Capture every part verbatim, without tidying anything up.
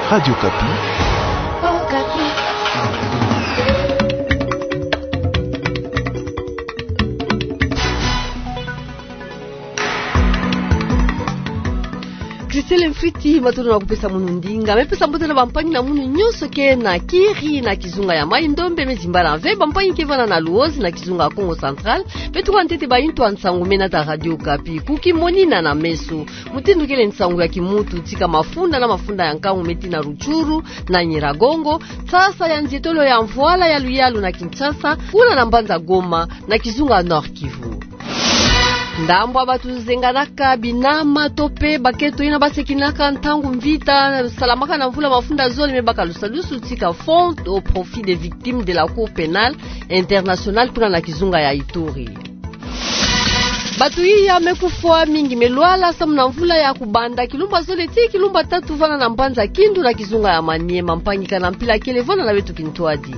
Radio Okapi. Christelle Mfwiti, matondo na kupesa munu ndinga. Me pesa mbote na bampangi na munu nyonso ke na kiri na kizunga ya Maï-Ndombe, me zimbala ve bampangi ke vanda na Luozi na kizunga Kongo Central. Beto kantete ba intu a nsangu me nata Radio Okapi. Ku kimonina na meso, mutindu kele nsangu ya kimuntu, tika mafunda na mafunda ya nkangu me tina Rutshuru na Nyiragongo, nsasa ya nzietolo ya mvwala ya luyalu na Kinshasa, kuna na mbanza Goma, na kizunga Nord-Kivu. Ndambu ya bantu zenganaka binama to pe baketo yina basekinaka ntangu mvita salamaka na mvula mafunda zole me baka lusadusu tika fonds au profit des victimes de la Cour pénale internationale kuna na kizunga ya Ituri. Bantu iya me kufwa, mingi me lwala samu na mvula ya kubanda kilumbu ya zole tii kilumbu ya tatu vanda na mbanza Kindu na kizunga ya Maniema. Mpangi kana mpila kele vanda na beto kintwadi.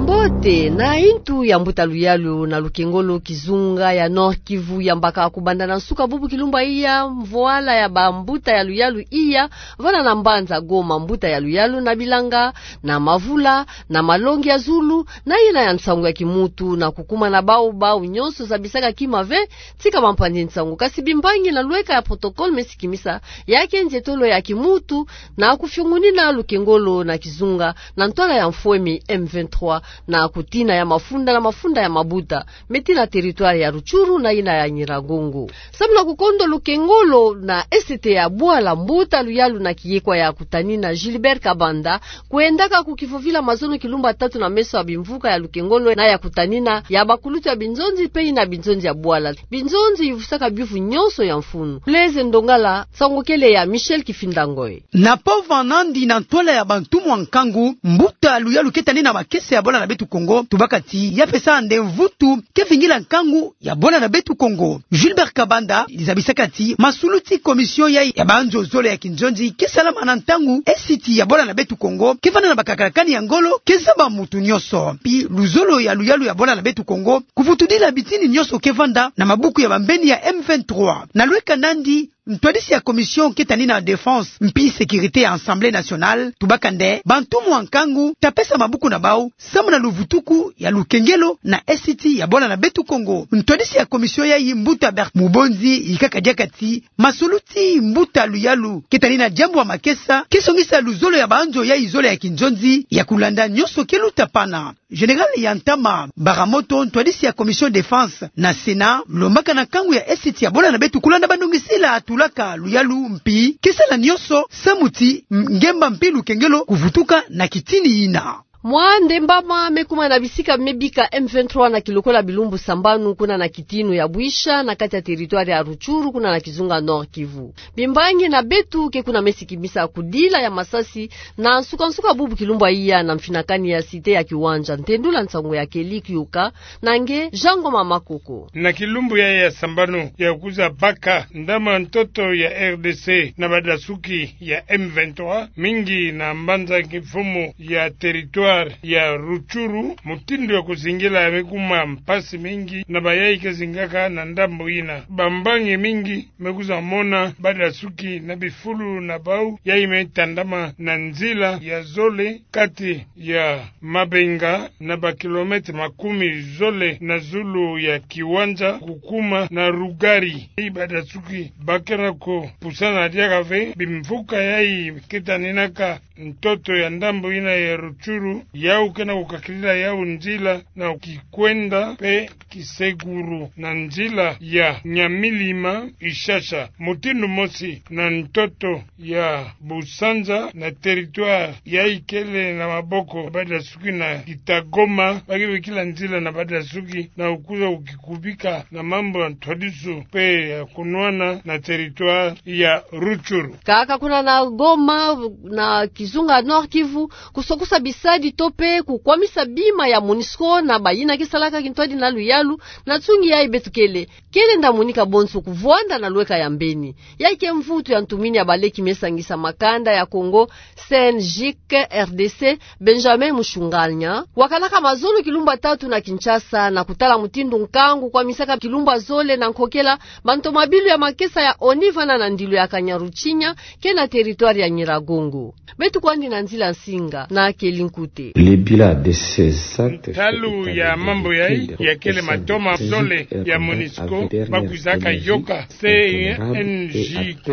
Mbote. Na intu ya mbuta luyalu na lukengolo, kizunga ya Nord-Kivu yambaka kubanda na nsuka bubu kilumbu ya iya mvwala ya bambuta ya luyalu iya vanda na mbanza Goma, mbuta ya luyalu na bilanga, na mavula, na malongi ya zulu, na yina ya nsangu ya kimuntu, na kukuma na bau, bau nyonso zabisaka kima ve tika bampanzi nsangu. Kasi bimbangi na lweka ya protocole me sikimisa ya ke nzietolo ya kimuntu, na kufiongunina lukengolo na kizunga na ntwala ya mfwemi M vingt-trois, na kutina ya mafunda na mafunda ya mabuta me tina territoire ya Rutshuru na yina ya Nyiragongo. Samu na kukondo lukengolo na esete ya bwala, mbuta luyalu na kiekwa ya kutanina Gilbert Kabanda kwendaka kukivovila mazono kilumbu ya tatu na meso ya bimvuka ya lukengolo na ya kutanina ya bakulutu ya binzonzi pe yina binzonzi ya bwala. Binzonzi yuvusaka biyuvu nyonso ya mfunu. Blaise Ndongala, nsangu kele ya Michel Kifinda Ngoy. Na pova nandi na ntwala ya bantumwa nkangu, mbuta luyalu ke tanina makesa ya bwala na beto Kongo, tubaka ti ya pesa nde mvutu ke vingila nkangu ya bwala na beto Kongo. Gilbert Kabanda zabisaka ti masuluti commission ya, ya banzo zole ya kinzonzi ke salama na ntangu esiti ya bwala na beto Kongo ke vanda na bakakalakani ya ngolo, ke zaba mutu nyonso. Mpi luzolo ya luyalu ya bwala na beto Kongo kuvutudila bitini nyonso ke vanda na mabuku ya bambeni ya M vingt-trois. Na lweka nandi, ntwadisi ya commission ke tanina défense mpi sécurité ya Assemblée nationale tubaka nde bantumwa nkangu ta pesa mabuku na bau samu na luvutuku ya lukengelo na esiti ya bwala na beto Kongo. Ntwadisi ya commission yayi, mbuta Bert Mubonzi, yika kadiaka ti masuluti mbuta luyalu ke tanina diambu ya makesa ke songisa luzolo ya banzo yayi zole ya kinzonzi ya kulanda nyonso ke luta pana. Général ya ntama Baramoto, ntwadisi ya commission défense na Sénat, lombaka na nkangu ya esiti ya bwala na beto kulanda bandongisila tulaka luyalu mpi ke sala nyonso samu ti ngemba mpi lukengelo kuvutuka na kitini yina. Mwa ndembama me kuma na bisika me bika M vingt-trois na kilokola bilumbu sambanu kuna na kitini ya Bwisha na kati ya territoire ya Rutshuru kuna na kizunga Nord-Kivu. Bimbangi na beto ke kuna me sikimisa kudila ya masasi na nsuka-nsuka bubu kilumbu ya iya na mfinakani ya cité ya Kiwanja. Ntendula nsangu ya Kelly Kioka na nge Jean Ngoma Makoko. Na kilumbu yayi ya sambanu ya kwiza baka, ntama ntoto ya R D C na badasuki ya M vingt-trois, mingi na mbanza kimfumu ya territoire ya Rutshuru, mutindu ya kuzingila ya me kuma mpasi mingi na bayayi ke zingaka na ndambu yina. Bambangi mingi me kwiza mona badasuki na bifulu na bau yayi me tandama na nzila ya zole kati ya Mabenga na ba kilomètre makumi zole na zulu ya Kiwanja kukuma na Rugari. Yayi badasuki ba kena ko pusana diaka ve bimvuka yayi ke taninaka ntoto ya ndambu yina ya Rutshuru, yau kena kukakidila yau nzila na kikwenda pe kisekuru na nzila ya Nyamilima Ishasha. Mutindu mosi na ntoto ya Busanza na territoire yayi kele na maboko badasuki na Kitagoma, ba ke bikila nzila na badasuki na kwiza kukikubika na mambu ya ntwadisu pe ya kunwana na territoire ya Rutshuru. Kaka kuna na Goma, na kizunga Nord-Kivu, kusokosa bisadi to pe kukwamisa bima ya MONUSCO na bayina ke salaka kintwadi na luyalu. Na nsungi yayi beto kele, kele nda monika bonso kuvwanda na lweka ya mbeni. Yayi ke mvutu ya ntumini ya baleki me sangisa makanda ya Kongo, CNJIC, RDC, Benjamin Mushunganya, wakalaka mazono kilumbu tatu na Kinshasa na kutala mutindu nkangu kwamisaka kilumbu zole na nkokela bantomabilu ya makesa ya ONU vana na ndilu ya Kanyaruchinya, ke na territoire ya Nyiragongo. Beto kwandi na nzila nsinga na Keli Nkute. Le bilan de ces actes. Ntalu ya mambu yayi, ya kele matoma zole ya MONUSCO, bakwizaka yoka, CNJIC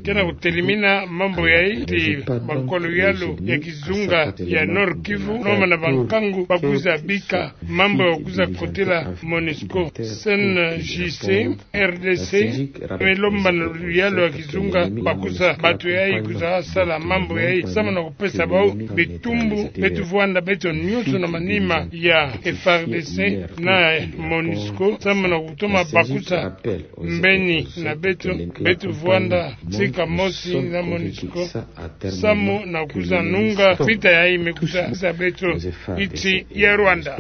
ke na kutelimina mambu yayi, ti bankolo yalu ya kizunga ya Nord-Kivu, noma na bankangu bakwiza bika mambu ya kwiza kotela MONUSCO. CNJIC, RDC, me lomba na luyalu ya kizunga bakwiza, bato yayi kwiza sala mambu yayi, samu na kupesa bau bitumbu. Beto vwanda beto nyonso na manima ya FARDC na MONUSCO, samu na kutoma bakwiza mbeni na beto, beto vwanda tika mosi na MONUSCO, samu na kwiza nunga vita yayi me kwiza za beto ntsi ya Rwanda.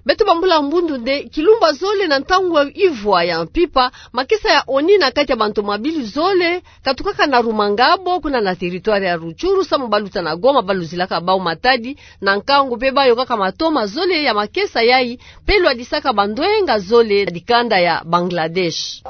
Beto bambula mbundu nde kilumbu zole na ntangu ivwa ya mpimpa, makesa ya ONU na kati ya bantomabilu zole katukaka na Rumangabo, kuna na territoire ya Rutshuru, samu baluta na Goma, baluzilaka bau Matadi na nkangu, pe bayokaka matoma zole ya makesa yayi, pe lwadisaka bandwenga zole na dikanda ya Bangladesh.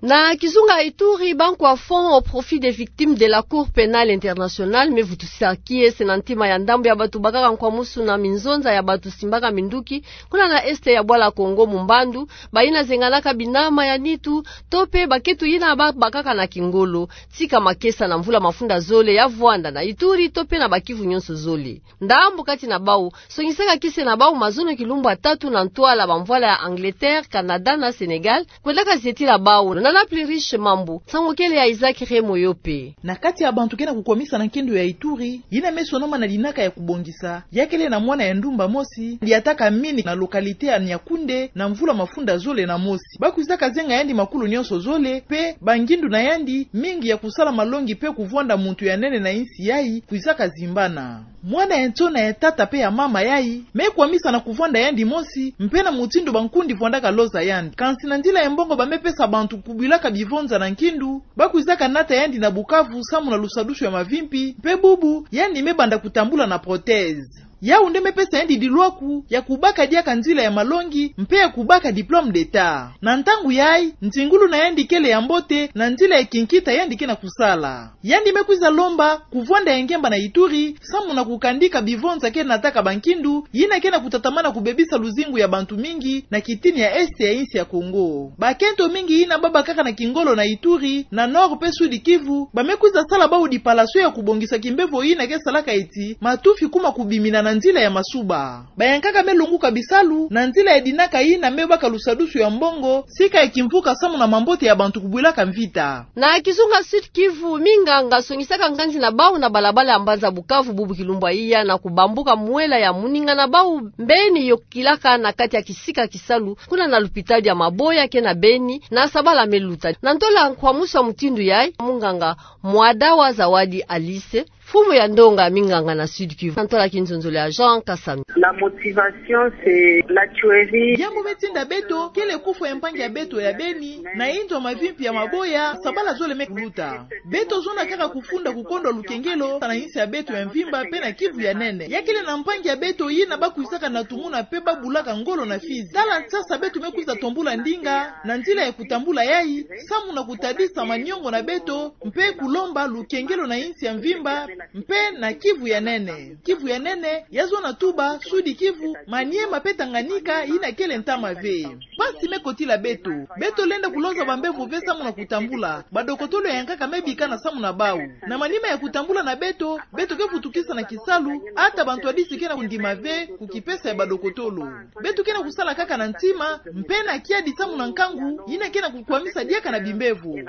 Na kizunga Ituri, bankwa Fonds au profit des victimes de la Cour pénale internationale me vutusa kiese na ntima ya ndambu ya bato bakaka nkwamusu na minzonza ya bato simbaka minduki kuna na est ya bwala Kongo, Mumbandu, bayina zenganaka binama ya nitu, to pe baketo yina ba-, bakaka na kingolo, tika makesa na mvula mafunda zole ya vwanda na Ituri, to pe na ba-Kivu nyonso zole. Ndambu kati na bau songisaka kiese na bau mazono kilumbu tatu na ntwala bamvwala ya Angleterre, Canada na Sénégal, kwendaka zietila bau. Nana Pluriche Mambu, nsangu kele ya Isaac Remoyope. Na kati ya bantu ke na kukwamisa na nkindu ya Ituri, yina me sonama na linaka ya kubongisa, ya kele na mwana ya ndumba mosi, liataka mini na localité ya Niakoundé, na mvula mafunda zole na mosi. Bakwizaka zenga yandi makulu nyonso zole, pe bangindu na yandi, mingi ya kusala malongi pe kuvwanda muntu ya nene na insi yayi, kwizaka zimbana. Mwana ya ntsona ya tata pe ya mama yayi me kwamisa na kuvwanda yandi mosi, mpe na mutindu bankundi vwandaka loza yandi. Kansi na nzila ya mbongo ba me pesa bantu kubwilaka bivonza na nkindu, bakwizaka nata yandi na Bukavu samu na lusadusu ya mavimpi, mpe bubu yandi me banda kutambula na prothèse. Yau nde me pesa yandi dilwaku ya kubaka diaka nzila ya malongi mpe ya kubaka diplôme d'État. Na ntangu yayi, ntingulu na yandi kele ya mbote na nzila ya kinkita yandi ke na kusala. Yandi me kwiza lomba kuvwanda ya ngemba na Ituri, samu na kukandika bivonza ke nataka bankindu, yina ke na kutatamana kubebisa luzingu ya bantu mingi na kitini ya est ya insi ya Kongo. Bakento mingi yina babakaka na kingolo na Ituri, na Nord pe Sud Kivu, ba me kwiza sala bau dipalasio ya kubongisa kimbevo yina ke salaka eti matufi kuma kubimina na nzila ya masuba. Bayankaka me longuka bisalu na nzila ya dinaka yina me baka lusadusu ya mbongo, sika ya kimvuka samu na mambote ya bantu kubwilaka mvita. Na kizunga Sud Kivu, minganga songisaka nganzi na bau na balabala ya mbanza Bukavu bubu kilumbu ya iya na kubambuka mwela ya muninga na bau mbeni yokilaka na kati ya kisika kisalu, kuna na lupitali ya Maboya ke na Beni, na sabala me luta. Na ntola nkwamusu ya mutindu yayi, munganga Mwadawa Zawadi Alice, mfumu ya ndonga minganga na Sud Kivu, na ntola kinzonzolo ya Jean Kasami. La motivation, c'est la tuerie. Diambu me tinda beto kele kufwa ya mpangi ya beto ya Beni na inzo mavimpi ya Maboya, sabala zole me kuluta. Beto zonda kaka kufunda kukondwa lukengelo na insi ya beto ya mvimba pe na Kivu ya nene. Ya kele na mpangi ya beto yina bakwizaka na tumuna pe babulaka ngolo na Fizi. Tala nsasa beto me kwiza tombula ndinga na nzila ya kutambula yayi, samu na kutadisa maniongo na beto, mpe kulomba lukengelo na insi ya mvimba, mpe na Kivu ya nene. Kivu ya nene ya zona tuba, Sud Kivu, Maniema pe Tanganyika, yina kele ntama ve. Mpasi me kotila beto. Beto lenda kuloza bambevo ve samu na kutambula. Badokotolo yankaka me bikana samu na bau. Na manima ya kutambula na beto, beto ke vutukisa na kisalu, ata bantwadisi ke na kundima ve kukipesa ya badokotolo. Beto ke na kusala kaka na ntima, mpe na kiadi samu na nkangu yina ke na kukwamisa diaka na bimbevo.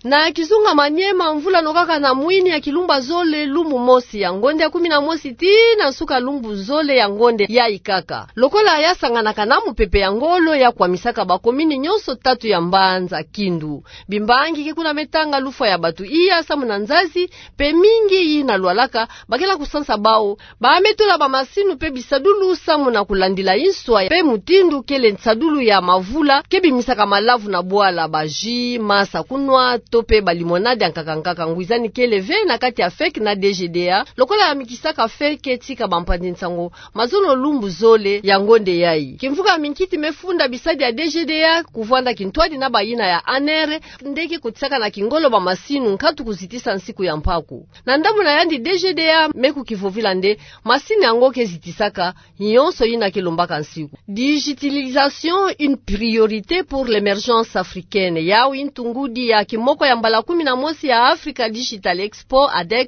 Na kizunga Maniema, mvula nokaka na mwini ya kilumba zole, lumbu mosi ya ngonde ya kumi na mosi tii na nsuka lumbu zole ya ngonde yayi kaka. Lokola yasanganaka na mupepe ya ngolo, yakwamisaka bakomini nyonso tatu ya mbanza Kindu. Bimbangi ke kuna me tanga lufwa ya bato iya samu na nzazi, mpe mingi yina lwalaka, bakela kusansa bawu, ba me tola bamasini mpe bisadulu samu na kulandila inswa mpe mutindu kele nsadulu ya mavula ke bimisaka malavu na bwala, ba jus, masa kunwa, to mpe ba limonade ya nkaka nkaka. Ngwizani kele ve na kati ya fek na D G D A, lokola yamikisaka fek, tika bampanzi-nsangu mazono lumbu zole ya ngonde yayi. Kimvuka ya minkiti me funda bisadi ya D G D A kuvwanda kintwadi na bayina ya A N R, nde ke kotisaka na kingolo bamasini nkatu kuzitisa nsiku ya mpaku. Na ndambu na yandi, D G D A me kukivovila nde masini yango ke zitisaka nyonso yina ke lombaka nsiku. Digitalisation, une priorité pour l'émergence africaine. Yawu i ntu ngudi ya kimoko ya mbala kumi na mosi ya Africa Digital Expo, ADEX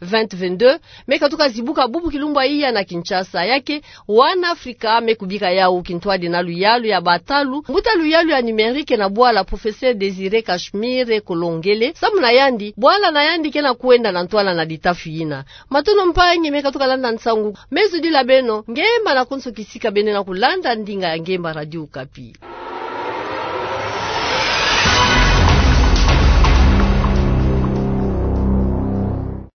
vingt vingt-deux, me katuka zibuka bubu kilumbu ya iya na Kinshasa. Ya ke wana Afrika me kubika yawu kintwadi na luyalu ya batalu mbuta luyalu ya numérique na bwala, Professeur Désiré Cachemire Kolongele. Samu na yandi, bwala na yandi ke na kwenda na ntwala na ditafi yina. Matondo mpangi me katuka landa nsangu. Me zudila beno ngemba na konso kisika beno na kulanda ndinga ya ngemba Radio Okapi.